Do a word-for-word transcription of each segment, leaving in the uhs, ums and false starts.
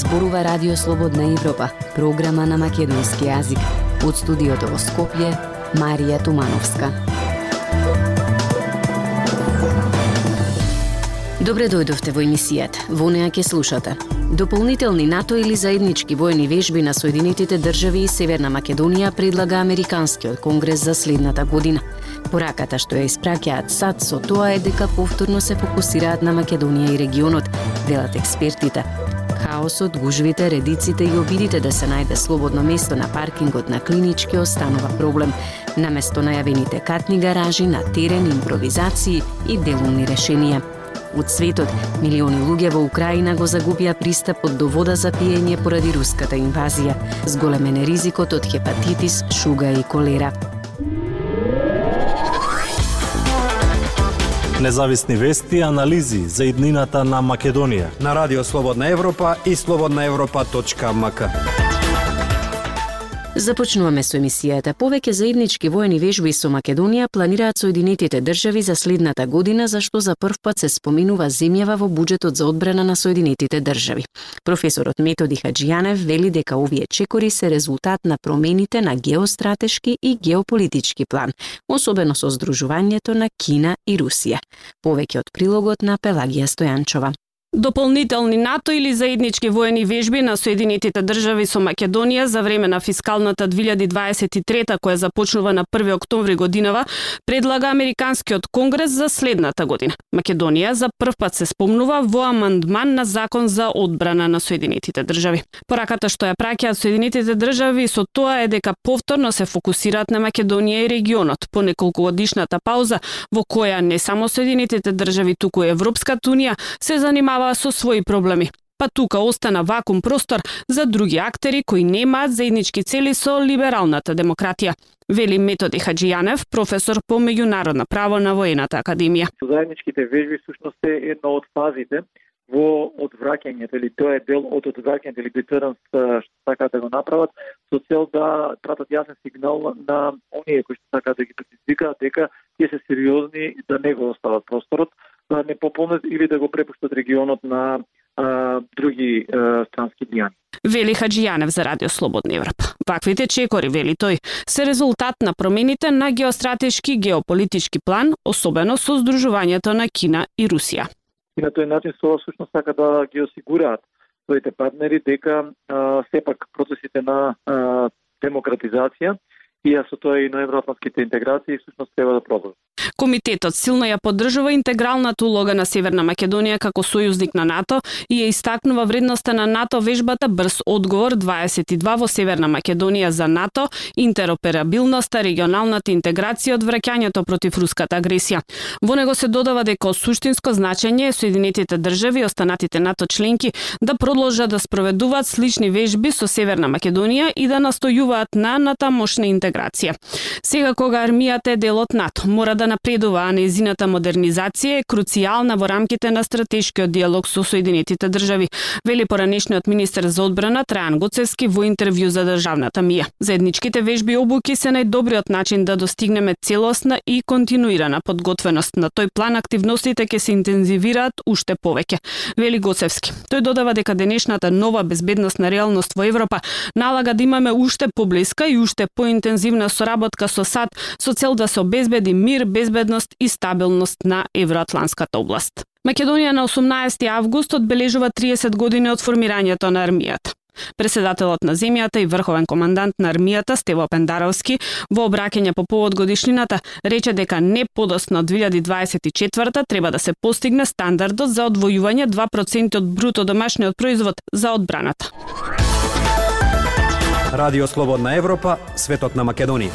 зборува Радио Слободна Европа, програма на македонски јазик. Од студиото во Скопје, Марија Тумановска. Добре дојдовте во емисијата. Во неа ќе слушате дополнителни НАТО или заеднички војни вежби на Соединетите држави и Северна Македонија предлага Американскиот конгрес за следната година. Пораката што ја испраќаат САД со тоа е дека повторно се фокусираат на Македонија и регионот, велат експертите. Хаосот, гужвите, редиците и обидите да се најде слободно место на паркингот на Клинички останува проблем. Наместо најавените катни гаражи на терен, импровизации и делумни решенија. Од светот, милиони луѓе во Украина го загубија пристапот до вода за пиење поради руската инвазија. Зголемен е ризикот од хепатитис, шуга и колера. Независни вести и анализи за иднината на Македонија на Радио Слободна Европа и слободна европа точка ем ка. Започнуваме со емисијата. Повеќе заеднички војни вежби со Македонија планираат Соединетите држави за следната година, зашто за прв пат се споминува земјава во буџетот за одбрана на Соединетите држави. Професорот Методи Хаџијанев вели дека овие чекори се резултат на промените на геостратешки и геополитички план, особено со здружувањето на Кина и Русија. Повеќе од прилогот на Пелагија Стојанчова. Дополнителни НАТО или заеднички војни вежби на Соединетите држави со Македонија за време на фискалната две илјади дваесет и трета, која започнува на први октомври годинава, предлага Американскиот конгрес за следната година. Македонија за прв пат се спомнува во амандман на закон за одбрана на Соединетите држави. Пораката што ја праќаат Соединетите држави со тоа е дека повторно се фокусираат на Македонија и регионот по неколкогодишната пауза во која не само Соединетите држави, туку и Европската унија се занимава со своји проблеми. Па тука остана вакуум простор за други актери кои немаат заеднички цели со либералната демократија, вели Методи Хаџијанев, професор по меѓународно право на Воената академија. Заедничките вежби всушност е една од фазите во одвраќањето, или тоа е дел од одвраќањето или детеренс што сакаат да го направат со цел да пратат јасен сигнал на оние кои што сакаат да ги предизвикаат дека тие се сериозни да не го остават просторот, да не пополнат или да го препуштат регионот на а, други а, странски дијани. Вели Хаџијанев за Радио Слободна Европа. Ваквите чекори, вели тој, се резултат на промените на геостратешки и геополитички план, особено со здружувањето на Кина и Русија. И на тој начин со всушност сака да ги осигураат своите партнери дека а, сепак процесите на а, демократизација и со тоа и на евроатлантските интеграции всушност треба да продолжат. Комитетот силно ја поддржува интегралната улога на Северна Македонија како сојузник на НАТО и ја истакнува вредноста на НАТО вежбата Брз одговор дваесет и два во Северна Македонија за НАТО, интероперабилноста, регионалната интеграција од враќањето против руската агресија. Во него се додава дека од суштинско значење Соединетите држави и останатите НАТО членки да продолжат да спроведуваат слични вежби со Северна Македонија и да настојуваат на натамошна интеграција. Сега кога армијата е дел од НАТО, мора да напредува, а нејзината модернизација е круцијална во рамките на стратешкиот диалог со Соединетите држави, вели поранешниот министер за одбрана Трајан Гоцевски во интервју за државната мија. Заедничките вежби и обуки се најдобриот начин да достигнеме целосна и континуирана подготвеност. На тој план активностите ќе се интензивираат уште повеќе, вели Гоцевски. Тој додава дека денешната нова безбедносна реалност во Европа налага да имаме уште поблиска и уште поинтензивна соработка со САД со цел да се обезбеди мир, безбедност и стабилност на евроатлантската област. Македонија на осумнаесети август одбележува триесет години од формирањето на армијата. Преседателот на земјата и врховен командант на армијата Стево Пендаровски во обраќање по повод годишнината рече дека не подоцна од две илјади дваесет и четврта треба да се постигне стандардот за одвојување два проценти од бруто домашниот производ за одбраната. Радио Слободна Европа, светот на Македонија.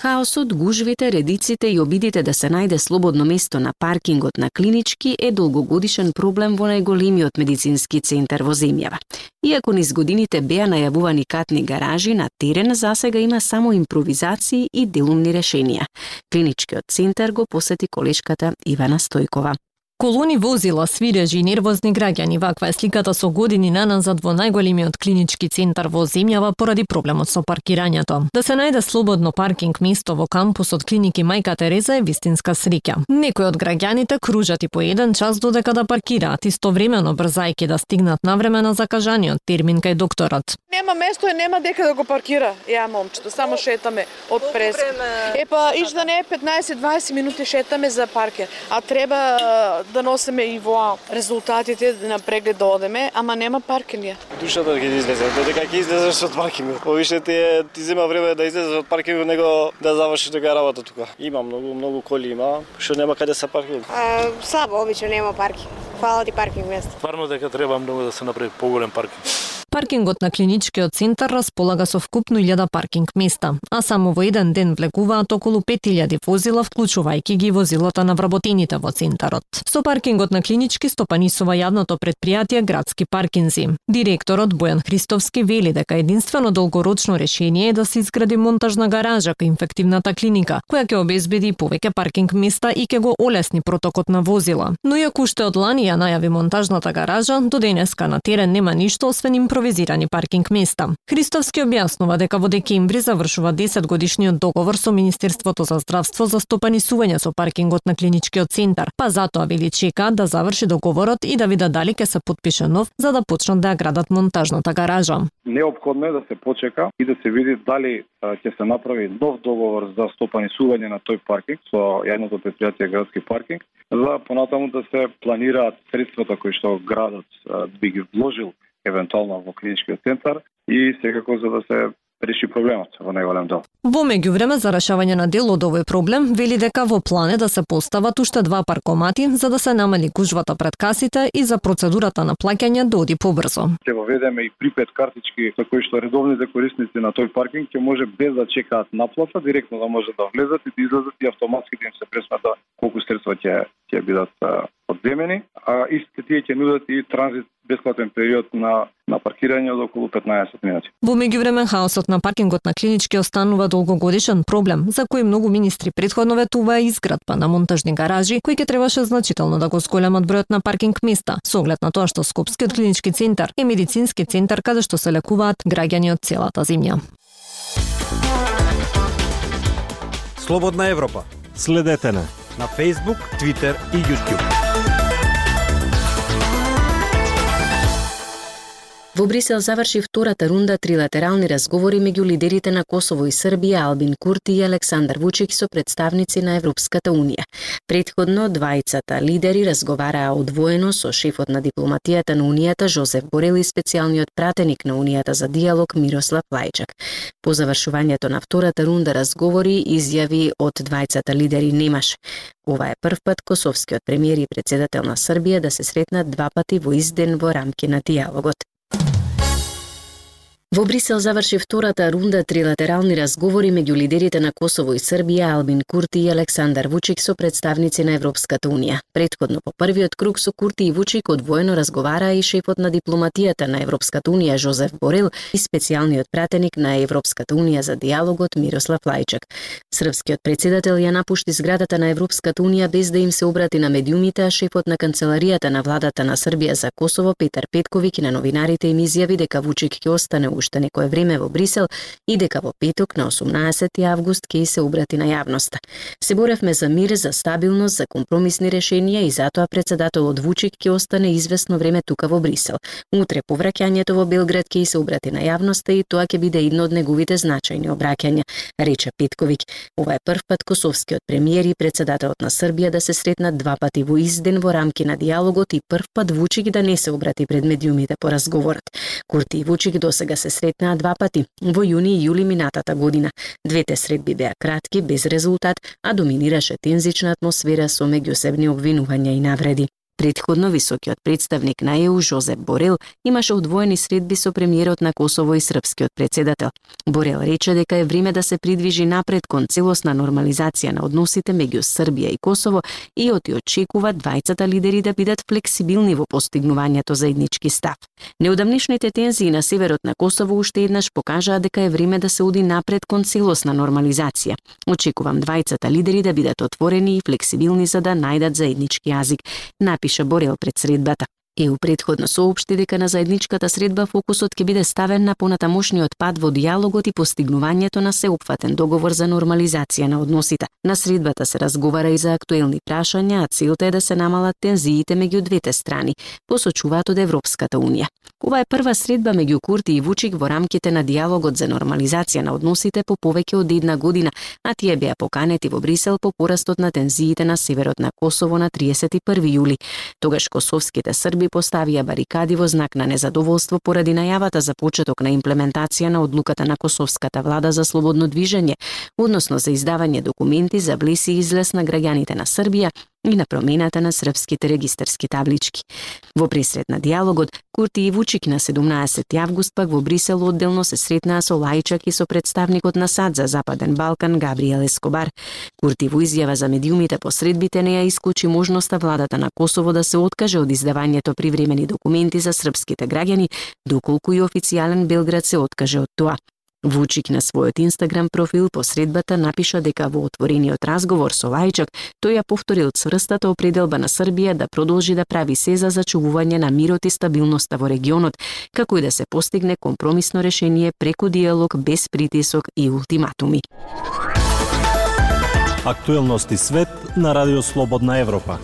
Хаосот, гужвите, редиците и обидите да се најде слободно место на паркингот на Клинички е долгогодишен проблем во најголемиот медицински центар во земјава. Иако низ годините беа најавувани катни гаражи, на терен засега има само импровизации и делумни решенија. Клиничкиот центар го посети колешката Ивана Стојкова. Колони возила, свирежи и нервозни граѓани, ваква е сликата со години наназад во најголемиот клинички центар во земјава поради проблемот со паркирањето. Да се најде слободно паркинг место во кампусот клиники Мајка Тереза е вистинска среќа. Некои од граѓаните кружат и по еден час додека да паркираат, истовремено брзајќи да стигнат навреме на закажаниот термин кај докторот. Нема место и нема дека да го паркира. Ја момчето, само шетаме од преска. Епа, иш да не е петнаесет-дваесет минути шетаме за паркер, а треба да носиме и во резултатите на преглед да одеме, ама нема паркинг. Душата ќе излезе, додека ќе излезеш од паркингот. Повише ти е, ти зема време да излезеш од паркингот него да завршиш дека работа тука. Има многу многу коли има, што нема каде се паркираат. А, слабо обично нема паркинг. Фала ти паркинг место. Стварно дека треба многу да се направи поголем паркинг. Паркингот на клиничкиот центар располага со вкупно илјада паркинг места, а само во еден ден влегуваат околу пет илјади возила, вклучувајќи ги возилата на вработените во центарот. Со паркингот на клинички стопанисува јавното предпријатие Градски паркинзи. Директорот Бојан Христовски вели дека единствено долгорочно решение е да се изгради монтажна гаража кај инфективната клиника, која ќе обезбеди повеќе паркинг места и ќе го олесни протокот на возила. Но иако уште од лани ја најави монтажната гаража, до денеска на терен нема ништо освен импровизирани паркинг места. Христовски објаснува дека во декември завршува десет годишниот договор со Министерството за здравство за стопанисување со паркингот на клиничкиот центар, па затоа вели чека да заврши договорот и да видат дали ќе се потпише нов за да почнат да ја градат монтажната гаража. Неопходно е да се почека и да се види дали ќе се направи нов договор за стопанисување на тој паркинг со јавното предпријатие Градски паркинг, за понатаму да се планираат средствата кои што градот би ги вложил евентуално во клиничкиот центар и секако за да се реши проблемот во најголем дел. Во меѓувреме за решавање на дел од овој проблем вели дека во план е да се постават уште два паркомати за да се намали гужвата пред касите и за процедурата на плаќање да оди побрзо. Ќе воведеме и припет картички со кои што редовните корисници на тој паркинг ќе може без да чекаат наплата директно да може да влезат и да излезат и автоматски да им се пресмета колку средства ќе ќе бидат одземени, а истите тие ќе нудат и транзит бесплатен период на на паркирање од околу петнаесет минути. Во меѓувреме хаосот на паркингот на клинички останува долгогодишен проблем за кој многу министри претходно ветуваа изградба на монтажни гаражи кои ќе требаше значително да го зголемат бројот на паркинг места, со оглед на тоа што Скопскиот клинички центар е медицински центар каде што се лекуваат граѓани од целата земја. Слободна Европа. Следете на на Facebook, Twitter и YouTube. Во Брисел заврши втората рунда трилатерални разговори меѓу лидерите на Косово и Србија Албин Курти и Александар Вучик со представници на Европската унија. Претходно двајцата лидери разговараа одвоено со шефот на дипломатијата на унијата Жозеф Борел и специјалниот пратеник на унијата за диалог Мирослав Лајчак. По завршувањето на втората рунда разговори изјави од двајцата лидери немаше. Ова е прв пат косовскиот премиер и председател на Србија да се сретнат два пати во ист ден во рамки на диалогот. Во Брисел заврши втората рунда трилатерални разговори меѓу лидерите на Косово и Србија Албин Курти и Александар Вучик со представници на Европската унија. Претходно по првиот круг со Курти и Вучик одвоено разговараа и шефот на дипломатијата на Европската унија Жозеф Борел и специјалниот пратеник на Европската унија за диалогот Мирослав Лајчак. Српскиот председател ја напушти зградата на Европската унија без да им се обрати на медиумите, а шефот на канцеларијата на владата на Србија за Косово Петар Петковиќ на новинарите им изјави дека Вучик ќе остане уште некое време во Брисел и дека во петок на осумнаесети август ќе се обрати на јавноста. Се боревме за мир, за стабилност, за компромисни решенија и затоа председателот Вучик ќе остане известно време тука во Брисел. Утре по враќањето во Белград ќе се обрати на јавноста и тоа ќе биде едно од неговите значајни обраќања, рече Петковиќ. Ова е прв пат косовскиот премиер и председателот на Србија да се сретнат два пати во ист ден во рамки на диалогот и прв пат Вучик да не се обрати пред медиумите по разговорот. Курти и Вучик досега се сретнаа два пати, во јуни и јули минатата година. Двете средби беа кратки, без резултат, а доминираше тензична атмосфера со меѓусебни обвинувања и навреди. Претходно високиот представник на Е У Жозеп Борел имаше удвоени средби со премиерот на Косово и српскиот претседател. Борел рече дека е време да се придвижи напред кон целосна нормализација на односите меѓу Србија и Косово и оти очекува двајцата лидери да бидат флексибилни во постигнувањето заеднички став. Неодамнешните тензии на северот на Косово уште еднаш покажаа дека е време да се оди напред кон целосна нормализација. Очекувам двајцата лидери да бидат отворени и флексибилни за да најдат заеднички јазик, напиша Борел пред средбата. Е У претходно соопшти дека на заедничката средба фокусот ќе биде ставен на понатамошниот пат во дијалогот и постигнувањето на сеопфатен договор за нормализација на односите. На средбата се разговара и за актуелни прашања, а целта е да се намалат тензиите меѓу двете страни, посочуваат од Европската унија. Ова е прва средба меѓу Курти и Вучик во рамките на дијалогот за нормализација на односите по повеќе од една година, а тие беа поканети во Брисел по порастот на тензиите на северот на Косово на триесет и први јули. Тогаш косовските срби поставија барикади во знак на незадоволство поради најавата за почеток на имплементација на одлуката на косовската влада за слободно движење, односно за издавање документи за влез и излез на граѓаните на Србија и на промената на српските регистарски таблички. Во пресрет на дијалогот, Курти и Вучик на седумнаесети август пак во Брисел одделно се сретнаа со Лајчак и со представникот на САД за Западен Балкан Габриел Ескобар. Курти во изјава за медиумите по средбите не ја исклучи можноста владата на Косово да се откаже од издавањето привремени документи за српските граѓани, доколку и официјален Белград се откаже од тоа. Вучик на својот Инстаграм профил по средбата напиша дека во отворениот разговор со Лајчак тој ја повторил цврстата определба на Србија да продолжи да прави се за зачувување на мирот и стабилноста во регионот, како и да се постигне компромисно решение преку диалог без притисок и ултиматуми. Актуелности свет на Радио Слободна Европа.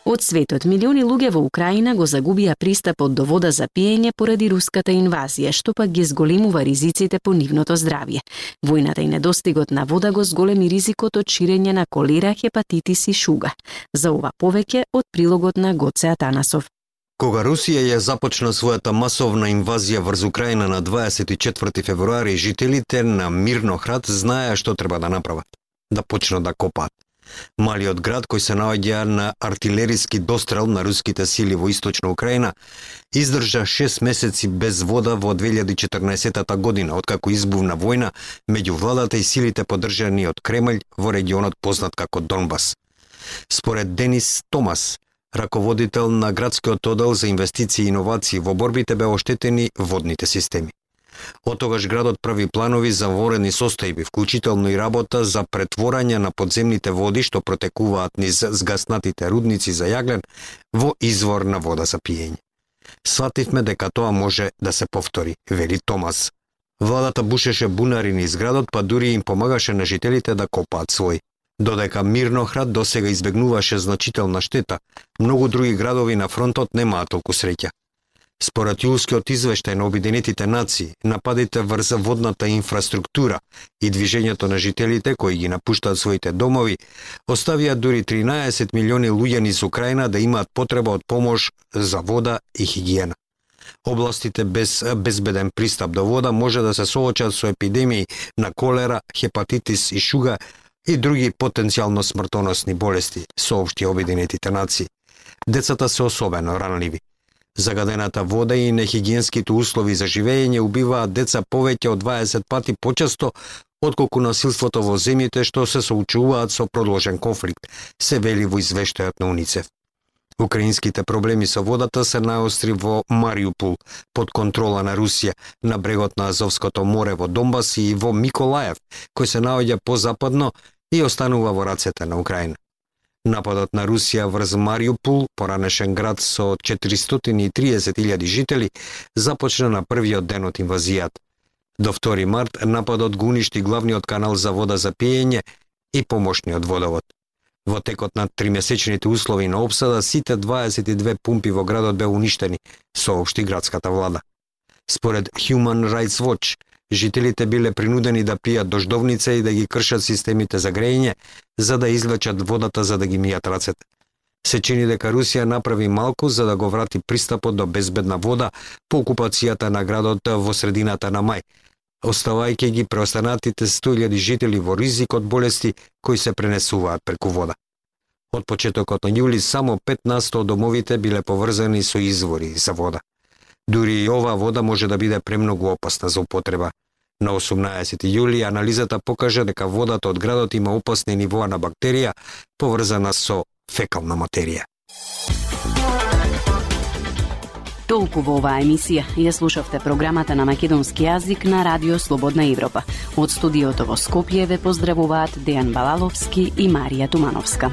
Од светот, милиони луѓе во Украина го загубија пристапот до вода за пиење поради руската инвазија, што пак ги зголемува ризиците по нивното здравје. Војната и недостигот на вода го зголеми ризикот од ширење на колера, хепатитис и шуга. За ова повеќе од прилогот на Гоце Атанасов. Кога Русија ја започна својата масовна инвазија врз Украина на дваесет и четврти февруари, жителите на Мирнохрад знаеа што треба да направат. Да почнат да копаат. Малиот град, кој се наоѓа на артилериски дострел на руските сили во источна Украина, издржа шест месеци без вода во две илјади и четрнаесетта година, откако избувна војна меѓу владата и силите поддржани од Кремљ во регионот познат како Донбас. Според Денис Томас, раководител на градскиот оддел за инвестиции и иновации, во борбите беа оштетени водните системи. Од тогаш градот прави планови за воредни состојби, вклучително и работа за претворање на подземните води што протекуваат низ згаснатите рудници за јаглен во извор на вода за пиење. Свативме дека тоа може да се повтори, вели Томас. Владата бушеше бунари низ градот, па дури им помагаше на жителите да копаат свој. Додека Мирнохрад досега избегнуваше значителна штета, многу други градови на фронтот немаат толку среќа. Според јулскиот извештај на Обединетите нации, нападите врз водната инфраструктура и движењето на жителите кои ги напуштаат своите домови, оставија дури тринаесет милиони луѓе низ Украина да имаат потреба од помош за вода и хигиена. Областите без безбеден пристап до вода може да се соочат со епидемии на колера, хепатитис и шуга и други потенцијално смртоносни болести, соопшти Обединетите нации. Децата се особено ранливи. Загадената вода и нехигиенските услови за живење убиваат деца повеќе од дваесет пати почесто отколку насилството во земјите што се соочуваат со продолжен конфликт, се вели во извештајот на УНИЦЕФ. Украинските проблеми со водата се најостри во Мариупол, под контрола на Русија, на брегот на Азовското море во Донбас и во Миколаев, кој се наоѓа позападно и останува во рацете на Украина. Нападот на Русија врз Мариупол, поранешен град со четиристотини и триесет илјади жители, започна на првиот ден од инвазијата. До втори март нападот го уништи главниот канал за вода за пиење и помошниот водовод. Во текот на тримесечните услови на опсада, сите дваесет и две пумпи во градот беа уништени, соопшти градската влада. Според Human Rights Watch, жителите биле принудени да пијат дождовница и да ги кршат системите за грејење, за да извлечат водата за да ги мијат рацете. Се чини дека Русија направи малку за да го врати пристапот до безбедна вода по окупацијата на градот во средината на мај, оставајќи ги преостанатите сто илјади жители во ризик од болести кои се пренесуваат преку вода. Од почетокот на јули само пет на сто од домовите биле поврзани со извори за вода. Дури и оваа вода може да биде премногу опасна за употреба. На осумнаесети јули анализата покажа дека водата од градот има опасни нивоа на бактерија поврзана со фекална материја. Толку во оваа емисија. Ја слушавте програмата на македонски јазик на Радио Слободна Европа. Од студиото во Скопје ве поздравуваат Дејан Балаловски и Марија Тумановска.